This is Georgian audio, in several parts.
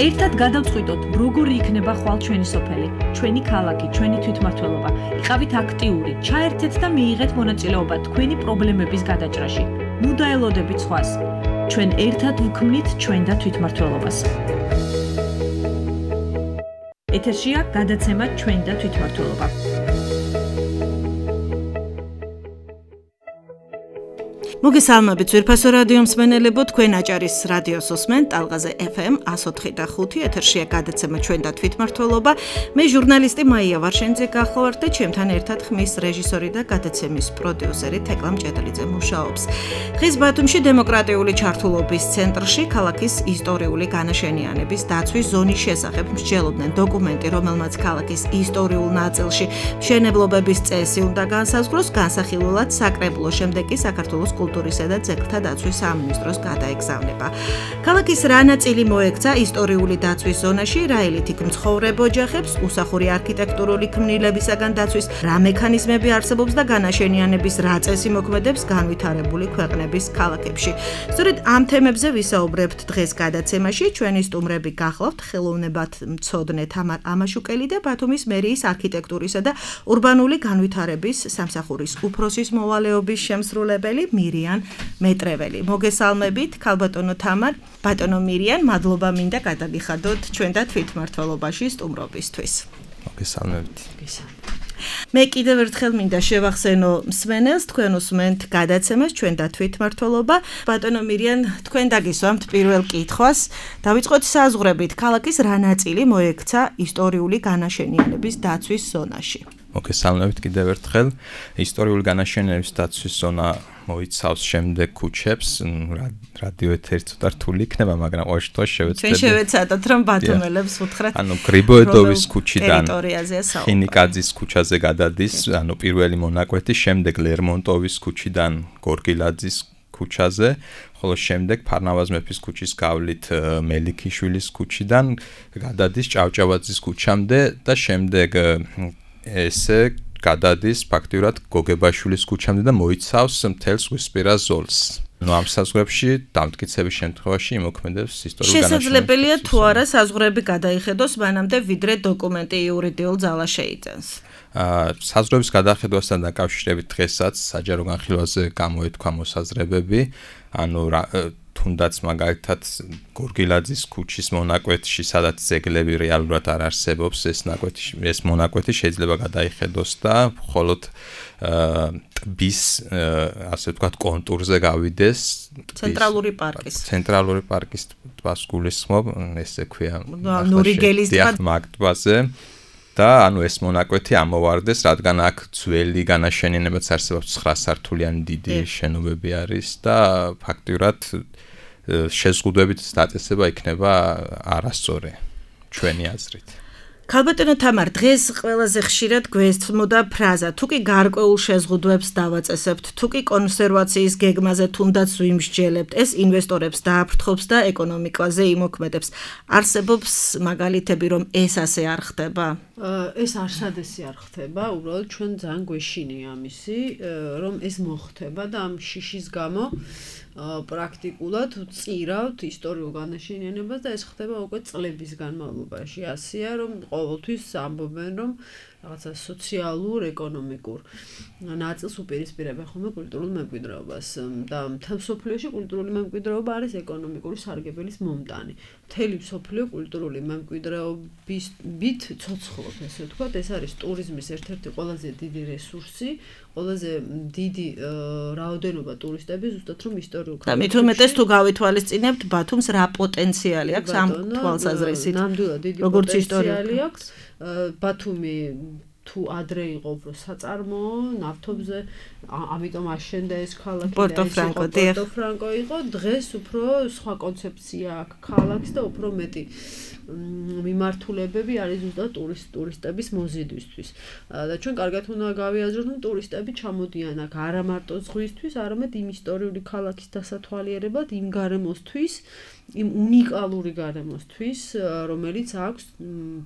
ერთად გადავწყვიტოთ, როგორი იქნება ხვალ ჩვენი სოფელი, ჩვენი ქალაქი, ჩვენი თვითმმართველობა. იყავით აქტიური, ჩაერთეთ და მიიღეთ მონაწილეობა თქვენი პრობლემების გადაჭრაში. ნუ დაელოდებით სხვას. ჩვენ ერთად ვქმნით ჩვენ და თვითმმართველობას. ეთერშია გადაცემა ჩვენ და თვითმმართველობა. მოგესალმებით ძვირფასო რადიო მსმენელებო, თქვენ აჭარის რადიოს უსმენთ ტალღაზე FM 104.5 ეთერშია გადაცემა ჩვენ და თვითმმართველობა. მე ჟურნალისტი მაია ვარშენიძე გახლავართ და ჩემთან ერთად ხმის რეჟისორი და გადაცემის პროდიუსერი თეკლა მჭედლიძე მუშაობს. ხის ბათუმში დემოკრატიული ჩართულობის ცენტრში ქალაქის ისტორიული განაშენიანების დაცვის ზონის შესახებ მსჯელობდნენ დოკუმენტი, რომელმაც ქალაქის ისტორიულ ნაწილში მშენებლობების წესი უნდა განსაზღვროს, განსახილველად საკრებულო, შემდეგ კი საქართველოს კულტურისა და ძეგლთა დაცვის სამინისტროს გადაეგზავნება. ქალაქის რა ნაწილი მოექცა ისტორიული დაცვის ზონაში, რა ელით იქ მცხოვრებ ოჯახებს, უსახური არქიტექტურული ქმნილებისაგან დაცვის რა მექანიზმები არსებობს და განაშენიანების რა წესი მოქმედებს განვითარებული ქვეყნების ქალაქებში. სწორედ ამ თემებზე ვისაუბრებთ დღეს გადაცემაში. ჩვენი სტუმრები გახლავთ ხელოვნებათმცოდნე თამარ ამაშუკელი და ბათუმის მერიის არქიტექტურისა და ურბანული განვითარების სამსახურის უფროსის მოვალეობის შემსრულებელი მირიან მეტრეველი. მოგესალმებით, ქალბატონო თამარ, ბატონო მირიან, მადლობა მინდა გადაგიხადოთ ჩვენ და თვითმმართველობაში სტუმრობისთვის. მოგესალმებით. მე კიდევ ერთხელ მინდა შევახსენო მსმენელს, თქვენ უსმენთ გადაცემას ჩვენ და თვითმმართველობა. ბატონო მირიან, თქვენ დაგისვამთ პირველ კითხვას. დავიწყოთ საზღვრებით, ქალაქის რა ნაწილი მოექცა ისტორიული განაშენიანების დაცვის ზონაში? მოგესალმებით კიდევ ერთხელ. ისტორიული განაშენიანების დაცვის ზონა მოიცავს შემდეგ ქუჩებს. რადიო ეთერი ცოტა რთული იქნება, მაგრამ ყოველ შემთხვევაში შევეცდები. ჩვენ შევეცადოთ, რომ ბათუმელებს უთხრათ. გრიბოედოვის ქუჩიდან ტერიტორიაზეა ხინიკაძის ქუჩაზე გადადის, პირველი მონაკვეთი, შემდეგ ლერმონტოვის ქუჩიდან გორგილაძის ქუჩაზე, ხოლო შემდეგ ფარნავაზ მეფის ქუჩის გავლით მელიქიშვილის ქუჩიდან გადადის ჭავჭავაძის ქუჩამდე და შემდეგ ესე გადადის ფაქტიურად გოგებაშვილის ქუჩამდე და მოიცავს მთელს ზღვისპირა ზოლს. ამ საზღვრებში დამტკიცების შემთხვევაში იმოქმედებს ისტორიული განაშენიანება. შესაძლებელია თუ არა საზღვრები გადაიხედოს მანამდე, ვიდრე დოკუმენტი იურიდიულ ძალას შეიძენს. საზღვრების გადახედვასთან დაკავშირებით დღესაც საჯარო განხილვაზე გამოეთქვა მოსაზრებები, თუნდაც მაგალითად გორგილაძის ქუჩის მონაკვეთში, სადაც ძეგლები რეალურად არ არსებობს, ეს მონაკვეთი შეიძლება გადაიხედოს და მხოლოდ ტბის, ასე ვთქვათ, კონტურზე გავიდეს. ცენტრალური პარკის ტბას გულისხმობ, ესე ქვია. ნურიგელის ტბაზე. და ეს მონაკვეთი ამოვარდეს, რადგან აქ ძველი განაშენიანებაც არსებობს, 9 სართულიანი დიდი შენობები არის და ფაქტიურად შეზღუდვებით დაწესება იქნება არასწორი ჩვენი აზრით. ქალბატონო თამარ, დღეს ყველაზე ხშირად გვესმოდა ფრაზა, თუ კი გარკვეულ შეზღუდვებს დავაწესებთ, თუ კი კონსერვაციის გეგმაზე თუნდაც ვიმსჯელებთ, ეს ინვესტორებს დააფრთხობს და ეკონომიკაზე იმოქმედებს. არსებობს მაგალითები, რომ ეს ასე არ ხდება? ეს არსადესი არ ხდება, უბრალოდ ჩვენ ძალიან გვეშინია ამისი, რომ ეს მოხდება და ამ შიშის გამო პრაქტიკულად წირავთ ისტორიულ განაშენიანებას და ეს ხდება უკვე წლების განმავლობაში. ასეა, რომ ყოველთვის ამბობენ, რომ რაღაცა სოციალურ, ეკონომიკურ ნაწილს უპირისპირებენ ხოლმე კულტურულ მემკვიდრეობას და მთელ მსოფლიოში კულტურული მემკვიდრეობა არის ეკონომიკური სარგებელის მომტანი. მთელი მსოფლიო კულტურული მემკვიდრეობით ცოცხლობს, ესე ვთქვათ, ეს არის ტურიზმის ერთ-ერთი ყველაზე დიდი რესურსი, ყველაზე დიდი რაოდენობა ტურისტები ზუსტად რომ ისტორიულ და მით უმეტეს თუ გავითვალისწინებთ ბათუმს რა პოტენციალი აქვს ამ თვალსაზრისით? ნამდვილად დიდი პოტენციალი აქვს. ბათუმი თუ ადრე იყო უფრო საწარმოო, ნავთობზე, ამიტომ აშენდა ეს ქალაქი და პორტოფრანკო იყო, დღეს უფრო სხვა კონცეფცია აქვს ქალაქს და უფრო მეტი მიმართულებები არის ზუსტად ტურისტების მოზიდვისთვის. და ჩვენ კარგად უნდა გავიაზროთ, რომ ტურისტები ჩამოდიან აქ არა მარტო ზღვისთვის, არამედ იმ ისტორიული ქალაქის დასათვალიერებლად, იმ გარემოსთვის, იმ უნიკალური გარემოსთვის, რომელიც აქვს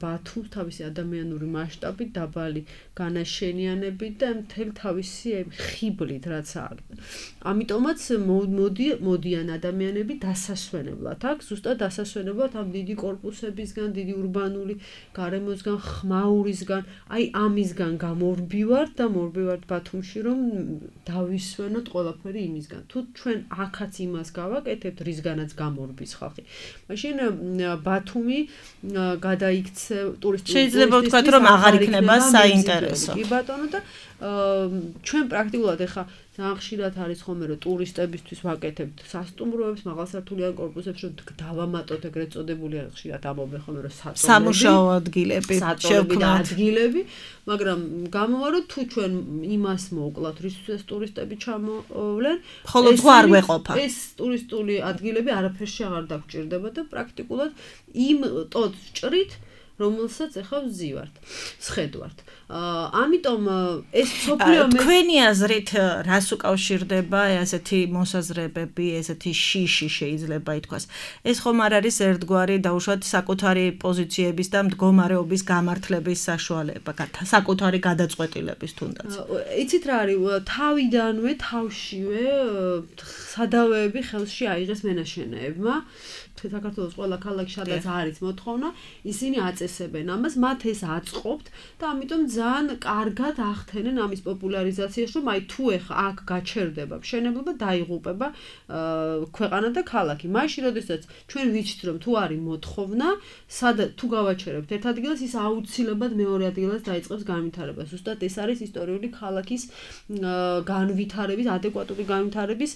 ბათუმს თავისი ადამიანური მასშტაბით, დაბალი განაშენიანებით და მთელი თავისი ხიბლით, რაც აქვს. ამიტომაც მოდიან ადამიანები დასასვენებლად აქ, ზუსტად დასასვენებლად ამ დიდი კორპუსებისგან, დიდი ურბანული გარემოსგან, ხმაურისგან, აი ამისგან გამორბივართ და მორბივართ ბათუმში, რომ დავისვენოთ ყველაფერი იმისგან. თუ ჩვენ აქაც იმას გავაკეთებთ, რისგანაც გამორბის ხალხი. მაშინ ბათუმი გადაიქცე ტურისტული შეიძლება ვთქვათ, რომ აღარ იქნება საინტერესო. კი ბატონო და ჩვენ პრაქტიკულად ეხა ძალიან ხშირად არის ხოლმე რომ ტურისტებისთვის ვაკეთებთ სასტუმროებს, მაღალსართულიან კორპუსებს, რომ დავამატოთ ეგრეთ წოდებული არის ხშირად ამობენ ხოლმე რომ სამუშაო ადგილები შევქმნათ ადგილები, მაგრამ გამოვა რომ თუ ჩვენ იმას მოვკლავთ, რისთვის ტურისტები ჩამოვლენ, ხოლო თუ არ გვეყოფა. ეს ტურისტული ადგილები არაფერში აღარ დაგჭირდება და პრაქტიკულად იმ ტოტს ჭრით რომელსაც ახლა ვზივართ, სხედვართ. ამიტომ ეს სოფლიო თქვენი აზრით რას უკავშირდება ესეთი მოსაზრებები, ესეთი შიში შეიძლება ითქვას. ეს ხომ არ არის ერთგვარი დაუშვათ საკუთარი პოზიციების და მდგომარეობის გამართლების საშუალება, საკუთარი გადაწყვეტილების თუნდაც. იცით რა არის, თავიდანვე, თავშივე სადავეები ხელში აიღეს მენაშენეებმა. საქართველოს ყველა ქალაქში სადაც არის მოთხოვნა, ისინი აწესებენ ამას, მათ ეს აწყობთ და ამიტომ ძალიან კარგად ახდენენ ამის პოპულარიზაციას, რომ აი თუ ეხა აქ გაჩერდება მშენებლობა, დაიღუპება ქვეყანა და ქალაქი. მაშინ როდესაც ჩვენ ვიცით, რომ თუ არის მოთხოვნა, თუ გავაჩერებთ ერთ ადგილას, ის აუცილებლად მეორე ადგილას დაიწყებს განვითარებას. ზუსტად ეს არის ისტორიული ქალაქის განვითარების, ადეკვატური განვითარების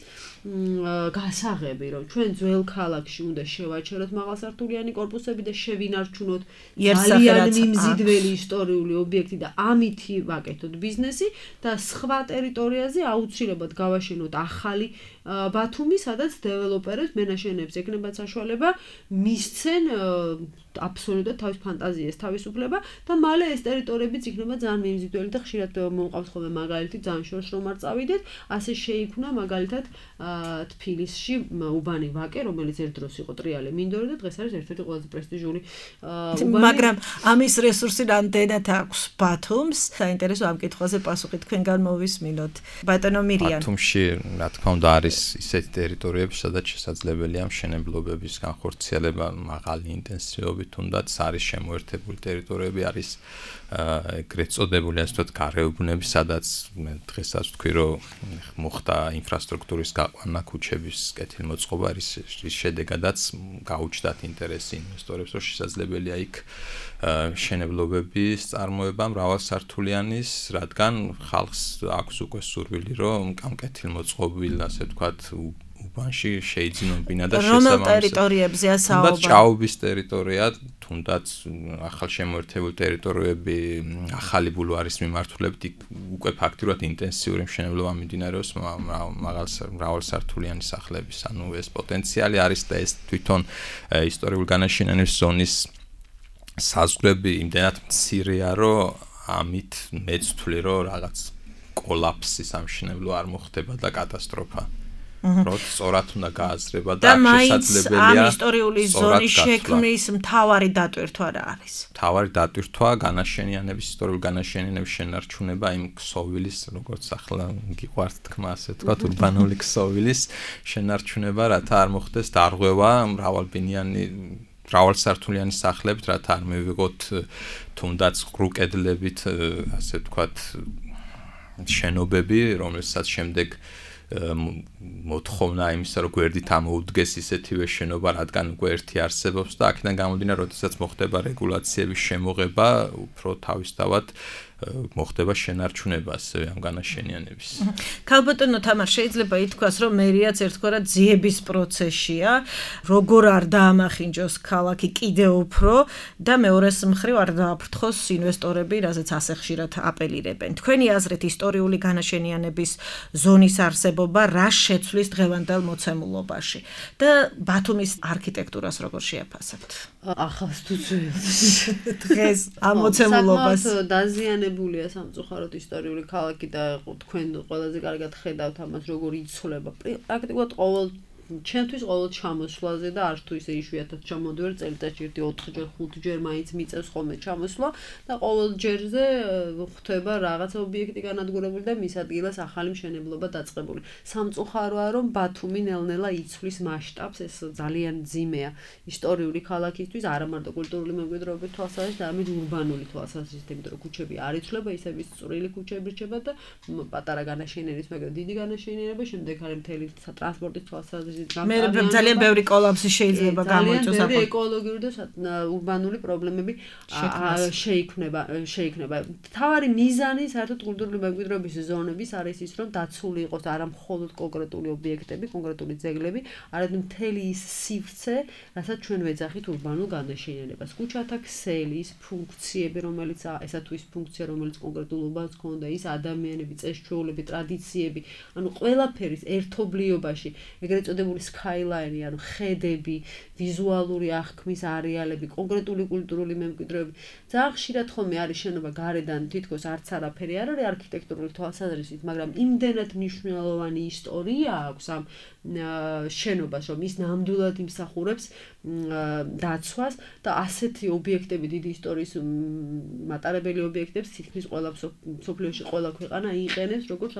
გასაღები, რომ ჩვენ ძველ ქალაქში უნდა შევაჩეროთ მაღალსართულიანი კორპუსები და შევინარჩუნოთ ძალიან მიმზიდველი ისტორიული ობიექტი და ამითი ვაკეთოთ ბიზნესი და სხვა ტერიტორიაზე აუცილებლად გავაშენოთ ახალი ბათუმი, სადაც დეველოპერებს მენაშენეებს ეკნებათ საშუალება მისცენ აბსოლუტურად თავის ფანტაზიას თავისუფლება და მალე ეს ტერიტორიებიც იქნება ძალიან მიმზიდველი და ხშირად მომყავს ხოლმე მაგალითი ძალიან შორს რომ არ წავიდეთ, ასე შეიქმნა მაგალითად თბილისში უბანი ვაკე, რომელიც ერთ დროს იყო ტრიალე მინდორი და დღეს არის ერთ-ერთი ყველაზე პრესტიჟული უბანი. მაგრამ ამის რესურსი რამდენად აქვს ბათუმს? საინტერესო ამ კითხვაზე პასუხი თქვენგან მოვისმინოთ. ბატონო მირიან. ბათუმში რა თქმა უნდა არის ისეთი ტერიტორიები, სადაც შესაძლებელია მშენებლობების განხორციელება მაღალი ინტენსივობით, თუნდაც არის შემოერთებული ტერიტორიები, არის ეგრეთ წოდებული ასე ვთქვათ გარეუბნები, სადაც მე დღესაც ვთქვი, რომ მოხდა ინფრასტრუქტურის გაყვანა, ქუჩების კეთილმოწყობა, რის შედეგადაც გაუჩნდათ ინტერესი ინვესტორებს, რომ შესაძლებელია იქ მშენებლობების წარმოება მრავალსართულიანის, რადგან ხალხს აქვს უკვე სურვილი, რომ ამ კეთილმოწყობილ ასე ვთქვათ უბანში შეიძინონ ბინა და რომელ ტერიტორიებზეა საუბარი? თუნდაც ჭაობის ტერიტორია, თუნდაც ახალშემოერთებული ტერიტორიები, ახალი ბულვარის მიმართულებით უკვე ფაქტიურად ინტენსიური მშენებლობა მიმდინარეობს მრავალსართულიანი სახლების. ანუ ეს პოტენციალი არის და ეს თვითონ ისტორიული განაშენიანების ზონის საზღვრები იმდენად მცირეა, რომ ამით მეც ვთვლი, რომ რაღაც კოლაფსი სამშენებლო არ მოხდება და კატასტროფა. რომ სწორად უნდა გააზრება და შესაძლებელია ამ ისტორიული ზონის შექმნის მთავარი დატვირთვა რა არის? მთავარი დატვირთვა განაშენიანების, ისტორიული განაშენიანების შენარჩუნება იმ ქსოვილის, როგორც ახლა გიყვართ თქმა ასე თქვა, ურბანული ქსოვილის შენარჩუნება, რათა არ მოხდეს დარღვევა მრავალსართულიანი სახლებით, რათა არ მივიღოთ თუნდაც ყრუ კედლებით ასე ვთქვათ შენობები, რომელსაც შემდეგ მოთხოვნა იმისა, რომ გვერდით ამოუდგეს ისეთივე შენობა, რადგან უკვე ერთი არსებობს და აქედან გამომდინარე, როდესაც მოხდება რეგულაციების შემოღება, უფრო თავისთავად მოხდება შენარჩუნება ასევე ამ განაშენიანების. ქალბატონო თამარ, შეიძლება ითქვას, რომ მერიაც ერთგვარად ძიების პროცესია, როგორ არ დაამახინჯოს ქალაქი კიდევ უფრო და მეორეს მხრივ არ დააფრთხოს ინვესტორები, რაზეც ასე ხშირად აპელირებენ. თქვენი აზრით ისტორიული განაშენიანების ზონის არსებობა რა შეცვლის დღევანდელ მოცემულობაში და ბათუმის არქიტექტურას როგორ შეაფასებთ? ახალს თუ ძველს. დღეს ამ მოცემულობას დაზიანებულია სამწუხაროდ ისტორიული ქალაქი და თქვენ ყველაზე კარგად ხედავთ ამას, როგორ იცვლება. პრაქტიკულად ყოველ ჩემთვის ყოველ ჩამოსვლაზე და არც თუ ისე იშვიათად ჩამოდივარ წელიწადში 4-ჯერ 5-ჯერ მაინც მიწევს ხოლმე ჩამოსვლა და ყოველ ჯერზე ხდება რაღაცა ობიექტი განადგურებული და მის ადგილას ახალი მშენებლობა დაწყებული. სამწუხაროა რომ ბათუმი ნელ-ნელა იცვლის მასშტაბს, ეს ძალიან ძიმეა ისტორიული ქალაქისთვის, არა მარტო კულტურული მემკვიდრეობის თვალსაზრისით, არამედ ურბანული თვალსაზრისით, იმიტომ რომ ქუჩები არ იცვლება, ისევ ის წვრილი ქუჩები რჩება და პატარა განაშენიერების, მაგრამ დიდი განაშენიერება, შემდეგ არის მთელი ტრანსპორტის თვალსაზრისით მე ძალიან ბევრი კოლაფსი შეიძლება გამოიწვიოს ძალიან ბევრი ეკოლოგიური და ურბანული პრობლემები შეიქმნება. თავარი მიზანი საერთოდ კულტურული მემკვიდრეობის ზონების არის ის, რომ დაცული იყოს არა მხოლოდ კონკრეტული ობიექტები, კონკრეტული ძეგლები, არამედ მთელი ის სივრცე, რასაც ჩვენ ვეძახით ურბანულ განაშენიერებას. ქუჩათა ქსელი, ის ფუნქციები, რომელიც ესა თუ ის ფუნქცია, რომელიც კონკრეტულ უბანს ჰქონდა, ის ადამიანები, წესჩვეულები, ტრადიციები, ანუ ყველაფერის ერთობლიობაში, ეგრეთ წოდებული skyline-ი, ანუ ხედები, ვიზუალური აღქმის არეალები, კონკრეტული კულტურული მემკვიდრეები. ძალიან ხშირად ხოლმე არის შენობა გარედან თითქოს არც არაფერი არ არის არქიტექტურული თვალსაზრისით, მაგრამ იმდენად მნიშვნელოვანი ისტორია აქვს ამ შენობას, რომ ის ნამდვილად იმსახურებს დაცვას და ასეთი ობიექტები, დიდი ისტორიის მატარებელი ობიექტებს თითქმის ყველა მსოფლიოში ყველა ქვეყანა იყენებს, როგორც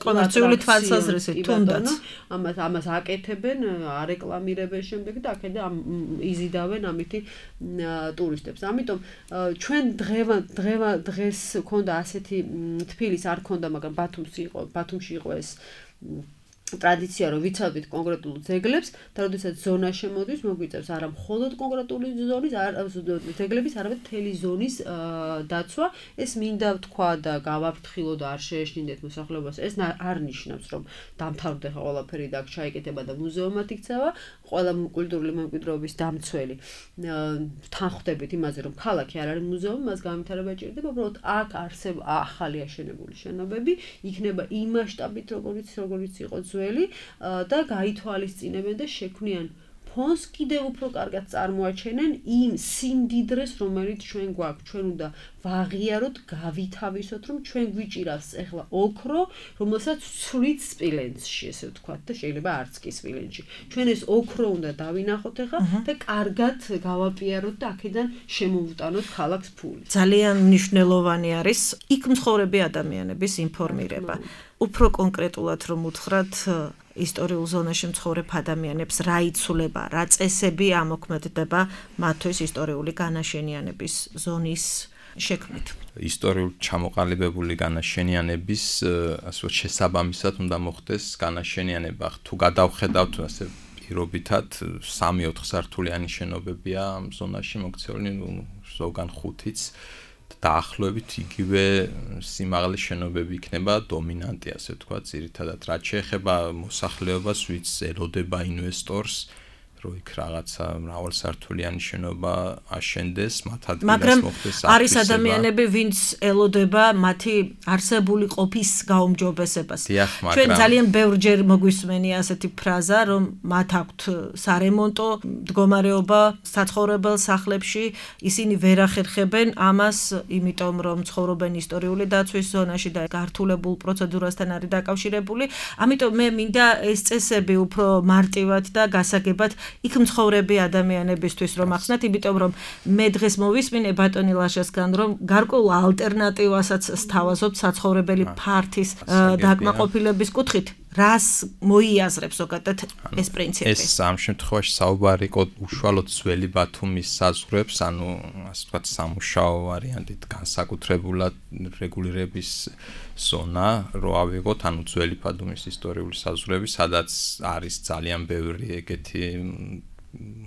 კომერციული თვალსაზრისით, თუნდაც. ამას აკეთებენ, არეკლამირებენ შემდეგ და აქედან იზიდავენ ამითი ტურისტებს. ამიტომ ჩვენ დღეს ქონდა ასეთი თბილისს არ ქონდა, მაგრამ ბათუმში იყო ეს ტრადიცია, რომ ვიცავდით კონკრეტულ ძეგლებს და როდესაც ზონა შემოდის, მოგვიწევს არა მხოლოდ კონკრეტული ზონის, ძეგლების, არამედ მთელი ზონის დაცვა. ეს მინდა ვთქვა და გავაფრთხილო და არ შეეშინდეთ მოსახლეობას. ეს არ ნიშნავს, რომ დამთავრდა ყველაფერი და აქ ჩაიკეთება და მუზეუმად იქცევა. ყველა კულტურული მემკვიდრეობის დამცველი თანხმდებით იმაზე, რომ ქალაქი არ არის მუზეუმი, მას განვითარება ჭირდება, უბრალოდ აქ არსება ახალი აშენებული შენობები, იქნება იმ მასშტაბით, როგორც იყო ძველი და გაითვალისწინებენ და შექმნიან ფონს კიდევ უფრო კარგად წარმოაჩენენ იმ სიმდიდრეს, რომელიც ჩვენ გვაქვს. ჩვენ უნდა ვაღიაროთ, გავითავისოთ, რომ ჩვენ გვიჭირავს ეხლა ოქრო, რომელსაც ცვლით სპილენძში, ესე ვთქვათ, და შეიძლება არც კი სპილენძში. ჩვენ ეს ოქრო უნდა დავინახოთ ეხლა და კარგად გავაპიაროთ და აქედან შემოვუტანოთ ქალაქს ფული. ძალიან მნიშვნელოვანი არის იქ მცხოვრები ადამიანების ინფორმირება. უფრო კონკრეტულად რომ უთხრათ ისტორიულ ზონაში მცხოვრებ ადამიანებს რა იცვლება, რა წესები ამოქმედდება მათთვის ისტორიული განაშენიანების ზონის შექმნით. ისტორიულ ჩამოყალიბებული განაშენიანების ასე შესაბამისად უნდა მოხდეს განაშენიანება. თუ გადავხედავთ ასე პირობითად 3-4 სართულიანი შენობებია ამ ზონაში მოქცეული, ზოგან 5-იც დაახლოებით იგივე სიმაღლის შენობები იქნება დომინანტი, ასე ვთქვათ, ძირითადად რაც შეეხება მოსახლეობას, ვინც ელოდება ინვესტორს, რომ იქ რაღაცა მრავალსართულიანი შენობა აშენდეს, მათ ადგილას მოხდეს აფრისება. არის ადამიანები, ვინც ელოდება მათი არსებული ყოფის გაუმჯობესებას. ჩვენ ძალიან ბევრჯერ მოგვისმენია ასეთი ფრაზა, რომ მათ აქვთ სარემონტო მდგომარეობა საცხოვრებელ სახლებში, ისინი ვერ ახერხებენ ამას, იმიტომ რომ ცხოვრობენ ისტორიული დაცვის ზონაში და გართულებულ პროცედურასთან არის დაკავშირებული. ამიტომ მე მინდა ეს წესები უფრო მარტივად და გასაგებად იქ მცხოვრები ადამიანებისთვის რომ ახსნათ, იმიტომ რომ მე დღეს მოვისმინე ბატონი ლაშასგან, რომ გარკვეულ ალტერნატივასაც სთავაზობთ საცხოვრებელი ფართის დაკმაყოფილების კუთხით. რას მოიაზრებს ზოგადად ეს პრინციპი? ეს ამ შემთხვევაში საუბარი იყო უშუალოდ ძველი ბათუმის საზღვრებს, ანუ ასე ვთქვათ, სამუშაო ვარიანტით განსაკუთრებულად რეგულირების ზონა რო ავიღოთ, ანუ ძველი ბათუმის ისტორიული საზღვრები, სადაც არის ძალიან ბევრი ეგეთი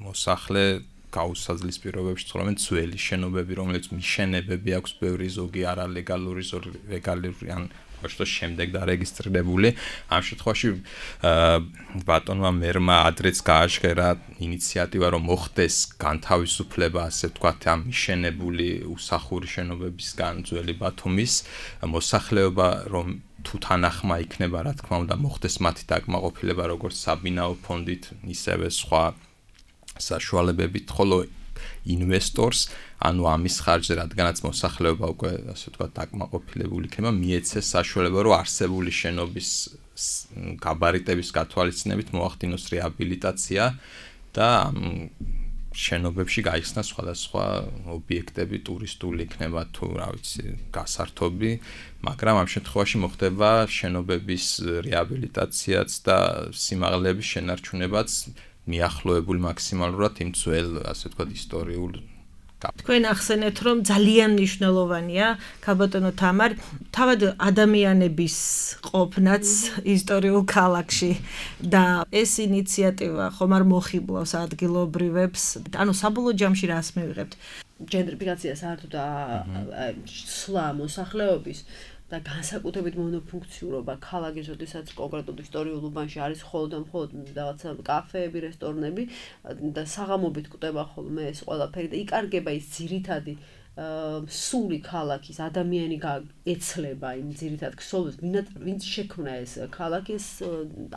მოსახლე გაუსაძლის პირობებში ცხოვრობენ, ძველი შენობები, რომელიც მიშენებები აქვს ბევრი, ზოგი არალეგალური, ზოგი ლეგალური, ან ოშტოს შემდეგ დარეგისტრირებული. ამ შემთხვევაში ბატონმა მერმა ადრეც გააჟღერა ინიციატივა, რომ მოხდეს განთავისუფლება, ასე ვთქვათ, ამ მიშენებული უსახური შენობებისგან ძველი ბათუმის მოსახლეობა, რომ თუ თანახმა იქნება, რა თქმა უნდა, მოხდეს მათი დაკმაყოფილება როგორც საბინაო ფონდით, ისევე სხვა საშუალებებით, ხოლო ინვესტორს, ანუ ამის ხარჯზე, რადგანაც მოსახლეობა უკვე ასე ვთქვათ დაკმაყოფილებული იქნება, მიეცეს საშუალება, რომ არსებული შენობის გაბარიტების გათვალისწინებით მოახდინოს რეაბილიტაცია და შენობებში გაიხსნას სხვადასხვა ობიექტები, ტურისტული იქნება თუ რა ვიცი, გასართობი, მაგრამ ამ შემთხვევაში მოხდება შენობების რეაბილიტაციაც და სიმაღლეების შენარჩუნებაც მიახლოებული მაქსიმალურად იმ ძველ, ასე ვთქვათ, ისტორიულ თქვენ ახსენეთ, რომ ძალიან მნიშვნელოვანია, ქალბატონო თამარ, თავად ადამიანების ყოფნაც ისტორიულ ქალაქში და ეს ინიციატივა ხომ არ მოხიბლავს ადგილობრივებს, ანუ საბოლოო ჯამში რას მივიღებთ? ჯენტრიფიკაცია საერთოდ სვლა მოსახლეობის და განსაკუთრებით მონოფუნქციურობა ქალაქის, როდესაც კონკრეტულ ისტორიულ უბანში არის მხოლოდ რაღაცა კაფეები, რესტორნები და საღამობით კვდება ხოლმე ეს ყველაფერი და იკარგება ის ძირითადი სული ქალაქის ადამიანი ეცლება იმ ძირითად ქსოვილს, ვინც შექმნა ეს ქალაქი,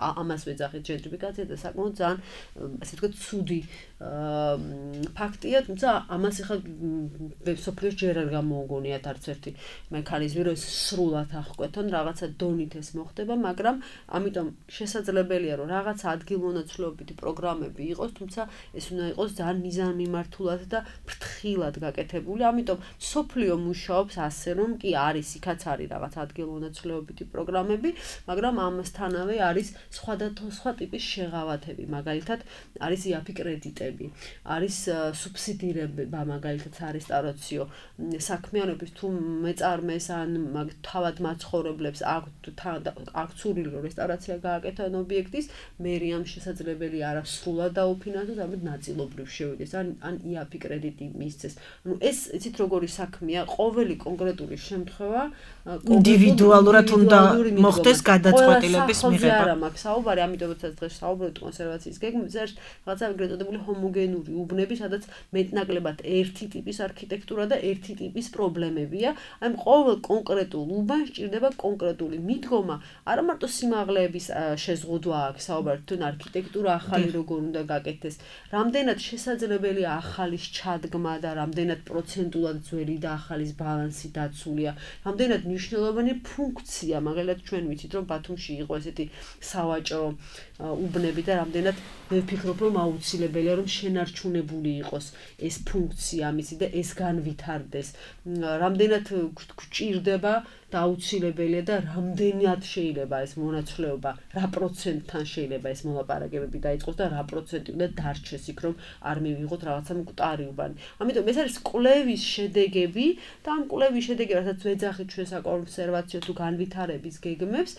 ამას ვეძახით ჯენტრიფიკაცია და საკმაოდ ძალიან ასე ვთქვათ ცუდი ფაქტია, თუმცა ამას ახლა სოფლიოს ჯერ არ გამოუგონიათ არც ერთი მექანიზმი, რომ ეს სრულად აღკვეთონ, რაღაცა დონით ეს მოხდება, მაგრამ ამიტომ შესაძლებელია, რომ რაღაცა ადგილმონაცვლეობითი პროგრამები იყოს, თუმცა ეს უნდა იყოს ძალიან მიზანმიმართულად და ფრთხილად გაკეთებული, ამიტომ სოფლიო მუშაობს ასე, რომ კი არის, იქაც არის რაღაც ადგილმონაცვლეობითი პროგრამები, მაგრამ ამასთანავე არის სხვადასხვა ტიპის შეღავათები, მაგალითად არის იაფი კრედიტები, არის სუბსიდირება, მაგალითად სარესტავრაციო საქმიანობის თუ მეწარმეს ან თავად მაცხოვრებლებს აქვს სურვილი, რომ რესტავრაცია გააკეთონ ობიექტის, მერიამ შესაძლებელი არა სრულად დაუფინანსოს, ამით ნაწილობრივ შევიდეს, ან იაფი კრედიტი მისცეს. ანუ ეს იცით როგორი საქმეა, ყოველი კონკრეტული შემთხვევა ინდივიდუალურად უნდა მოხდეს გადაწყვეტილების მიღება. არა მაქვს საუბარი, ამიტომ როდესაც დღეს საუბრობთ კონსერვაციის გეგმაზე, არის რაღაცა ეგრეთ წოდებული ჰომოგენური უბნები, სადაც მეტნაკლებად ერთი ტიპის არქიტექტურა და ერთი ტიპის პრობლემებია. აი ყოველ კონკრეტულ უბანს სჭირდება კონკრეტული მიდგომა, არა მარტო სიმაღლეების შეზღუდვა აქვს საუბარი, თუნ არქიტექტურა ახალი როგორ უნდა გაკეთდეს, რამდენად შესაძლებელია ახალის ჩადგმა და რამდენად პროცენტულად ძველი და ახალის ბალანსი დაცულია, რამდენად მნიშვნელოვანი ფუნქცია, მაგალითად ჩვენ ვიცით, რომ ბათუმში იყო ესეთი სავაჭრო უბნები და რამდენად მე ვფიქრობ, რომ აუცილებელია, რომ შენარჩუნებული იყოს ეს ფუნქცია ამისი და ეს განვითარდეს. რამდენად გვჭირდება და აუცილებელია და რამდენად შეიძლება ეს მონაცვლეობა, რა პროცენტთან შეიძლება ეს მოლაპარაკებები დაიწყოს და რა პროცენტი უნდა დარჩეს იქ, რომ არ მივიღოთ რაღაცა მკვდარი უბანი. ამიტომ ეს არის კვლევის შედეგები და ამ კვლევის შედეგები, რასაც ვეძახით ჩვენ საკონსერვაციო თუ განვითარების გეგმებს,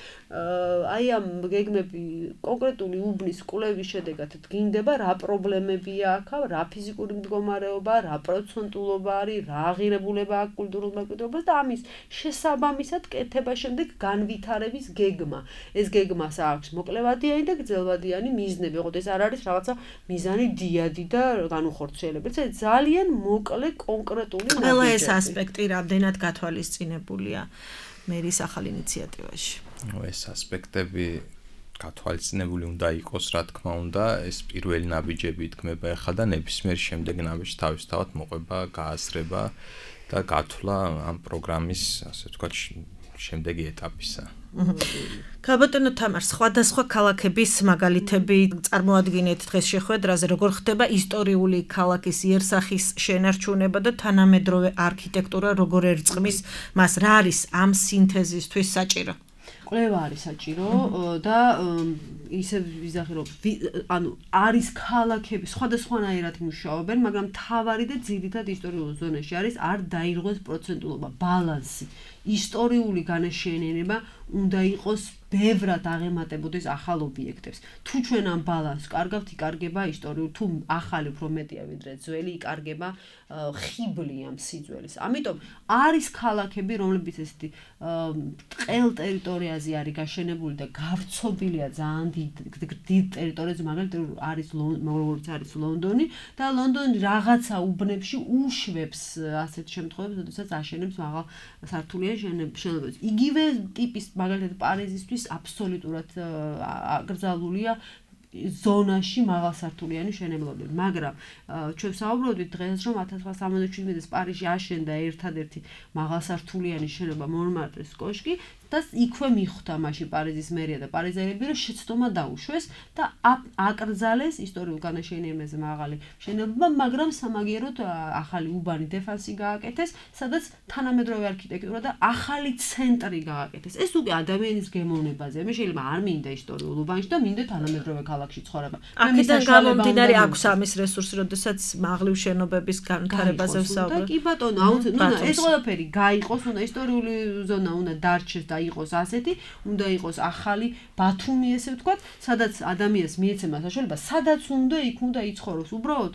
აი ამ გეგმები კონკრეტული უბნის კვლევის შედეგად დგინდება, რა პრობლემებია აქ, რა ფიზიკური მდგომარეობა, რა პროცენტულობა არის, რა აღირებულება აქვს კულტურულ მემკვიდრეობას და ამის შესაბამისად კეთება შემდეგ განვითარების გეგმა. ეს გეგმას აქვს მოკლევადიანი და გრძელვადიანი მიზნები, ოღონდ ეს არ არის რაღაცა მიზანი დიადი და განუხორციელებელი, ეს ძალიან მოკლე კონკრეტული ყველა ეს ასპექტი რამდენად გათვალისწინებულია მერის ახალ ინიციატივაში. ეს ასპექტები გათვალისწინებული უნდა იყოს, რა თქმა უნდა, ეს პირველი ნაბიჯები იდგმება ახლა და ნებისმიერ შემდეგ ნაბიჯს თავისთავად მოყვება, გააზრება და გათვლა ამ პროგრამის, ასე ვთქვათ, შემდეგი ეტაპისა. ქალბატონო თამარ, სხვადასხვა ქალაქების მაგალითები წარმოადგენთ დღეს შეხვედრაზე, როგორ ხდება ისტორიული ქალაქის იერსახის შენარჩუნება და თანამედროვე არქიტექტურა როგორ ერწყმის მას, რა არის ამ სინთეზისთვის საჭირო? კვლევა არის საჭირო და ისე ვიზახი რომ ანუ არის ქალაქები სხვადასხვანაირად მუშაობენ, მაგრამ მთავარი და ძირითად ისტორიულ ზონაში არის არ დაირღვეს პროცენტულობა, ბალანსი. ისტორიული განაშენიანება უნდა იყოს ბევრად აღემატებოდეს ახალ ობიექტებს. თუ ჩვენ ამ ბალანსს კარგავთ, იკარგება ისტორიული, თუ ახალი უფრო მეტია ვიდრე ძველი, იკარგება ხიბლი ამ სიძველის. ამიტომ არის ქალაქები, რომლებიც ესეთი ტყელ ტერიტორიაზე არის გაშენებული და გავრცობილია ძალიან დიდ ტერიტორიაზე, მაგალითად არის როგორც არის ლონდონი და ლონდონი რაღაცა უბნებში უშვებს ასეთ შემთხვევებს, როდესაც აშენებს მაღალ სართულიან შენობებს. იგივე ტიპის მაგალითად პარიზისთვის აბსოლუტურად აკრძალულია ზონაში მაღალსართულიანი მშენებლობები, მაგრამ ჩვენ საუბრობთ დღეს რომ 1977 წელს პარიზში აშენდა ერთადერთი მაღალსართულიანი შენობა მონმარტრის კოშკი და იქვე მიხვდა მაშინ პარიზის მერია და პარიზელები რომ შეცდომა დაუშვეს და აკრძალეს ისტორიულ განაშენიანებაზე მაღალი მშენებლობა, მაგრამ სამაგიეროდ ახალი უბანი დეფანსი გააკეთეს, სადაც თანამედროვე არქიტექტურა და ახალი ცენტრი გააკეთეს. ეს უკვე ადამიანის გემოვნებაზე. მე შეიძლება არ მინდა ისტორიულ უბანში და მინდა თანამედროვე ქალაქში ცხოვრება. აქედან გამომდინარე აქვს ამის რესურსი, როდესაც მაღლივ შენობების განვითარებაზე ვსაუბრობ. კი ბატონო, აუცილებლად ეს ყველაფერი გაიყოს, უნდა ისტორიული ზონა უნდა დარჩეს და იყოს ასეთი, უნდა იყოს ახალი ბათუმი, ესე ვთქვათ, სადაც ადამიანს მიეცემა საშუალება, სადაც უნდა იქ უნდა იცხოვროს. უბრალოდ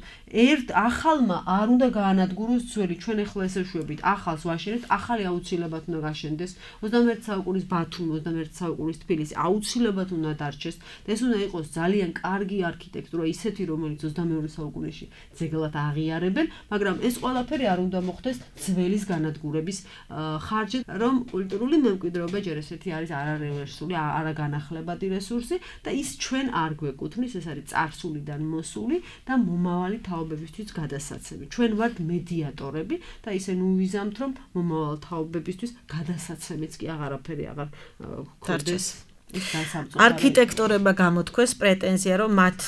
ახალმა არ უნდა გაანადგუროს ძველი. ჩვენ ახლა ესე ვშვებით, ახალს ვაშენებთ, ახალი აუცილებლად უნდა გაშენდეს. 21 საუკუნის ბათუმი, 21 საუკუნის თბილისი აუცილებლად უნდა დარჩეს. და ეს უნდა იყოს ძალიან კარგი არქიტექტურა, ისეთი, რომელიც 22 საუკუნეში ძეგლად აღიარებენ, მაგრამ ეს ყველაფერი არ უნდა მოხდეს ძველის განადგურების ხარჯით, რომ კულტურული მემკვიდრეობა ჯერ ესეთი არის არარესურსული, არაგანახლებადი რესურსი და ის ჩვენ არ გვეკუთვნის, ეს არის წარსულიდან მოსული და მომავალი თაობებისთვის გადასაცემი. ჩვენ ვართ მედიატორები და ისე ნუვიზამთ, რომ მომავალ თაობებისთვის გადასაცემიც კი აღარაფერი აღარ გქონდეს. არქიტექტორებმა გამოთქვეს პრეტენზია, რომ მათ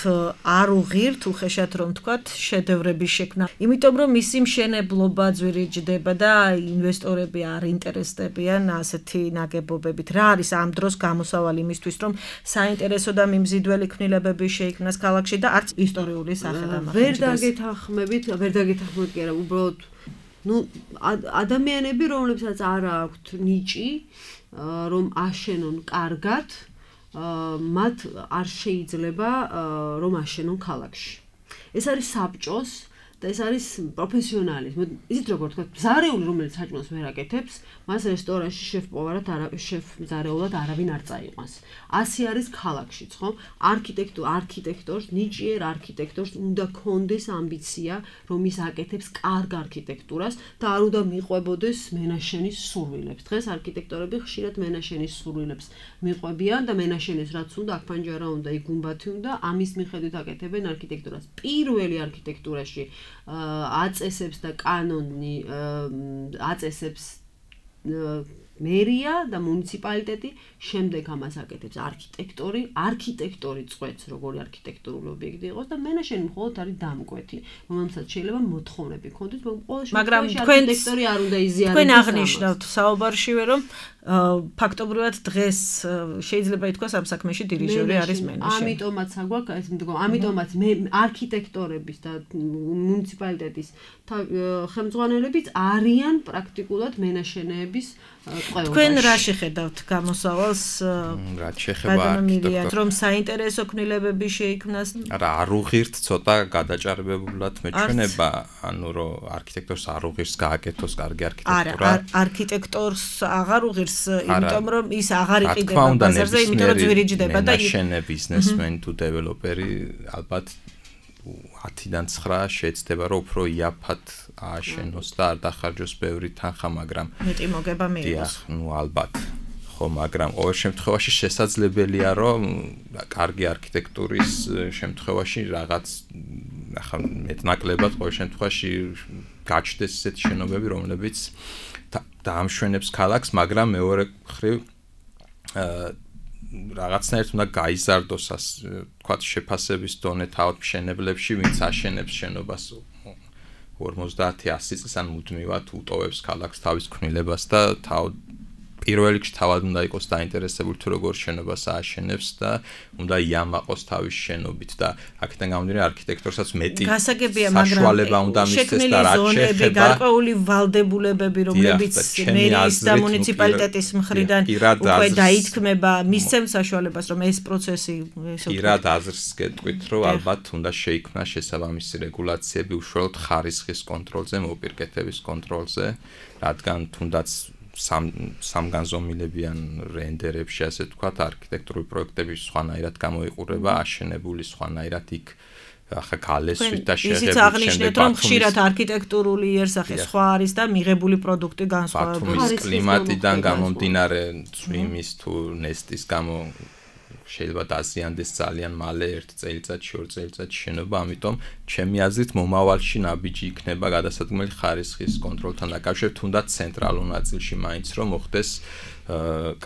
არ უღირთ უხეშად რომ თქვათ შედევრების შექმნა. იმიტომ რომ მისი მშენებლობა ძვირიჯდება და ინვესტორები არ ინტერესდებიან ასეთი ნაგებობებით. რა არის ამ დროს გამოსავალი იმისთვის, რომ საინტერესო და მიმზიდველი ქმნილებები შეიქმნას ქალაქში და არც ისტორიული სახე დამახინჯდეს. ვერ დაგეთანხმებით კი არა, უბრალოდ ადამიანები, რომლებსაც არ აქვთ ნიჭი რომ აშენონ კარგად, მათ არ შეიძლება რომ აშენონ ქალაქში. ეს არის საბჭოს და ეს არის პროფესიონალიზმი. ისეთ როგორ თქვა, მზარეული რომელიც საჭმელს ვერ აკეთებს, მას რესტორანში შეფ-მზარეულად არავინ არ წაიყვანს. ასე არის ქალაქშიც, ხო? არქიტექტორს, ნიჭიერ არქიტექტორს უნდა ქონდეს ამბიცია, რომ ის აკეთებს კარგ არქიტექტურას და არ უნდა მიყვებოდეს მენაშენის სურვილებს. დღეს არქიტექტორები ხშირად მენაშენის სურვილებს მიყვებიან და მენაშენის რაც უნდა, აქ პანჯარა უნდა, იქ გუმბათი უნდა, ამის მიხედვით აკეთებენ არქიტექტურას. პირველი არქიტექტურაში აწესებს და კანონი აწესებს მერია და მუნიციპალიტეტი, შემდეგ ამას აკეთებს არქიტექტორი წვეთს, როგორი არქიტექტურული ობიექტი იყოს და მენაშენი მხოლოდ არის დამკვეთი, რომელსაც შეიძლება მოთხოვნები ჰქონდეს, მაგრამ არქიტექტორი არ უნდა იზიაროს. თქვენ აღნიშნავთ საუბარშივე, რომ ფაქტობრივად დღეს შეიძლება ითქვას ამ საქმეში დირიჟორი არის მენაშენი. ამიტომაც არქიტექტორების და მუნიციპალიტეტის ხელმძღვანელებიც არიან პრაქტიკულად მენაშენეების ყველაში. თქვენ რა შეხედავთ გამოსავალს? რა შეეხება არქიტექტორს, რომ საინტერესო ქმნილებები შეიქმნას? არა, არ უღირთ ცოტა გადაჭარბებულად მეჩვენება, ანუ რომ არქიტექტორს არ უღირს გააკეთოს კარგი არქიტექტურა. არა, არქიტექტორს აღარ უღირს, იმიტომ რომ ის აღარ იყიდება ბაზარზე, იმიტომ რომ ძვირიჯდება და მენაშენე ბიზნესმენი თუ დეველოპერი ალბათ 10-დან 9 შეეცდება რომ უფრო იაფად ააშენოს და არ დახარჯოს ბევრი თანხა, მაგრამ მეტი მოგება მიიღოს. ალბათ. ხო, მაგრამ ყოველ შემთხვევაში შესაძლებელია რომ კარგი არქიტექტურის შემთხვევაში რაღაც მეტნაკლებად ყოველ შემთხვევაში გაჩნდეს ესეთი შენობები, რომლებიც დაამშვენებს ქალაქს, მაგრამ მეორე მხრივ რაღაცნაირად უნდა გაიზარდოს, თქვათ, შეფასების დონე თავად მშენებლებში, ვინც აშენებს შენობას 50-100 წელს ან მუდმივად უტოვებს ქალაქს თავის ქმნილებას და პირველ რიგში თავად უნდა იყოს დაინტერესებული თუ როგორ შენობას ააშენებს და უნდა იამაყოს თავის შენობით და აქედან გამომდინარე არქიტექტორსაც მეტი საშუალება უნდა მისცეს და რაც შეეხება გარკვეული ვალდებულებები, რომლებიც მერიის და მუნიციპალიტეტის მხრიდან უკვე დაითქმება, მისცემს საშუალებას, რომ ეს პროცესი პირად აზრს გეტყვით, რომ ალბათ უნდა შეიქმნას შესაბამისი რეგულაციები უშუალოდ ხარისხის კონტროლზე, მოპირკეთების კონტროლზე, რადგან თუნდაც სამგანზომილებიან რენდერებში, ასე ვთქვათ, არქიტექტურული პროექტები სხვანაირად გამოიყურება, აშენებული სხვანაირად იქ ახლა გალესვით და შეღებებით. ისიც აღნიშნეთ, რომ ხშირად არქიტექტურული იერსახე სხვა არის და მიღებული პროდუქტი განსხვავებულია. ბათუმის კლიმატიდან გამომდინარე, წვიმის თუ ნესტის გამო შეიძლება დაზიანდეს ძალიან მალე 1 წელიწადში, 2 წელიწადში შენობა, ამიტომ ჩემი აზრით მომავალში ნაბიჯი იქნება გადასადგმელი ხარისხის კონტროლთან დაკავშირებით, თუნდაც ცენტრალურ ნაწილში მაინც რომ მოხდეს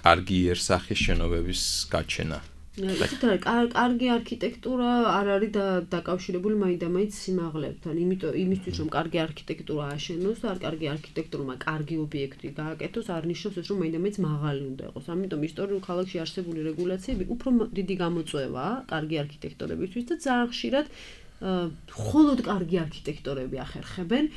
კარგი იერსახის შენობების გაჩენა. იცით რა, კარგი არქიტექტურა არ არის დაკავშირებული მაინდამაინც სიმაღლებთან, იმიტომ იმისთვის რომ კარგი არქიტექტურა აშენოს და კარგი არქიტექტურმა კარგი ობიექტი გააკეთოს, არ ნიშნავს ეს რომ მაინდამაინც მაღალი უნდა იყოს. ამიტომ ისტორიულ ქალაქში არსებული რეგულაციები უფრო დიდი გამოწვევაა კარგი არქიტექტორებისთვის და ძალიან ხშირად მხოლოდ კარგი არქიტექტორები ახერხებენ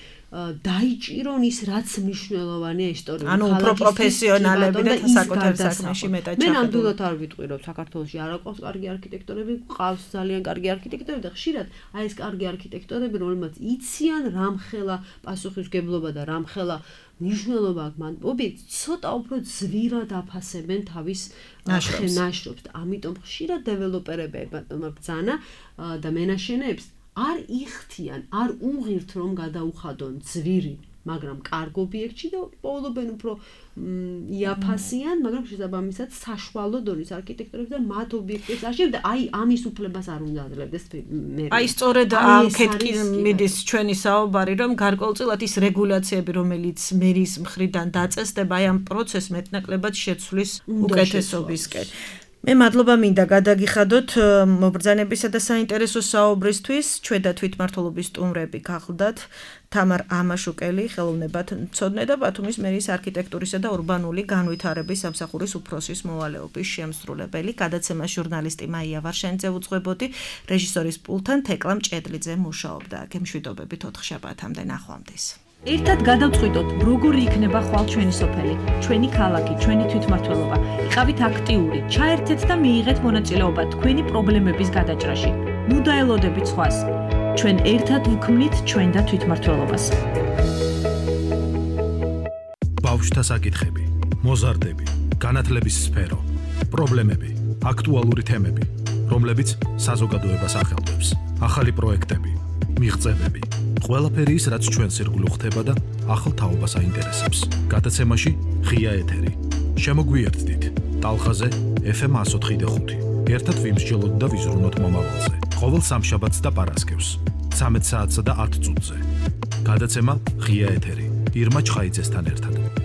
დაიჭირონ ის რაც მნიშვნელოვანია ისტორიულ ანუ უფრო პროფესიონალები და საკუთარ საქმეში მეტად მე ნამდვილად არ ვიტყვი რომ საქართველოში არ აყვავს კარგი არქიტექტორები, ყავს ძალიან კარგი არქიტექტორები და ხშირად აი ეს კარგი არქიტექტორები რომლებიც იციან რამხელა პასუხისმგებლობა და რამხელა მნიშვნელობა აქვს მან ობიექტს ცოტა უფრო ძვირად აფასებენ თავის ნაშრომს და ამიტომ ხშირად დეველოპერები ბრძანა და მენაშენეებს არ იხთიან, არ უღირთ რომ გადაუხადონ ძვირი, მაგრამ კარგ ობიექტში და პოულობენ უფრო იაფასიან, მაგრამ შესაბამისად საშუალო დონის არქიტექტორებს და მათ ობიექტებს აშენებენ და აი ამის უფლებას არ უნდა აძლევდეს მე. აი სწორედ ამქეთ კი მიდის ჩვენი საუბარი, რომ გარკვეულწილად ის რეგულაციები, რომელიც მერის მხრიდან დაწესდება, აი ამ პროცესს მეტნაკლებად შეცვლის უკეთესობისკენ. მე მადლობა მინდა გადაგიხადოთ მობრძანებისა და საინტერესო საუბრისთვის. ჩვენ და თვითმმართველობის სტუმრები გახლდათ თამარ ამაშუკელი, ხელოვნებათმცოდნე და ბათუმის მერიის არქიტექტურისა და ურბანული განვითარების სამსახურის უფროსის მოვალეობის შემსრულებელი. გადაცემა ჟურნალისტი მაია ვარშენიძე უძღვებოდი, რეჟისორის პულტთან თეკლა მჭედლიძე მუშაობდა. გემშვიდობებით 4 შაბათამდე ნახვამდის. ერთად გადავწყვიტოთ, როგორი იქნება ხვალ ჩვენი სოფელი, ჩვენი ქალაქი, ჩვენი თვითმმართველობა. იყავით აქტიური, ჩაერთეთ და მიიღეთ მონაწილეობა თქვენი პრობლემების გადაჭრაში. ნუ დაელოდებით სხვას. ჩვენ ერთად ვქმნით ჩვენ და თვითმმართველობას. ბავშვთა საკითხები, მოზარდები, განათლების სფერო, პრობლემები, აქტუალური თემები, რომლებიც საზოგადოებას ახელვებს. ახალი პროექტები, მიღწევები, ყველაფერი ის, რაც ჩვენს ირგვლივ ხდება და ახალ თაობას აინტერესებს. გადაცემაში ღია ეთერი. შემოგვიერთდით ტალღაზე FM 104.5. ერთად ვიმსჯელოთ და ვიზრუნოთ მომავალზე. ყოველ სამშაბათს და პარასკევს 13 საათსა და 10 წუთზე. გადაცემა ღია ეთერი. ირმა ჩხაიძესთან ერთად.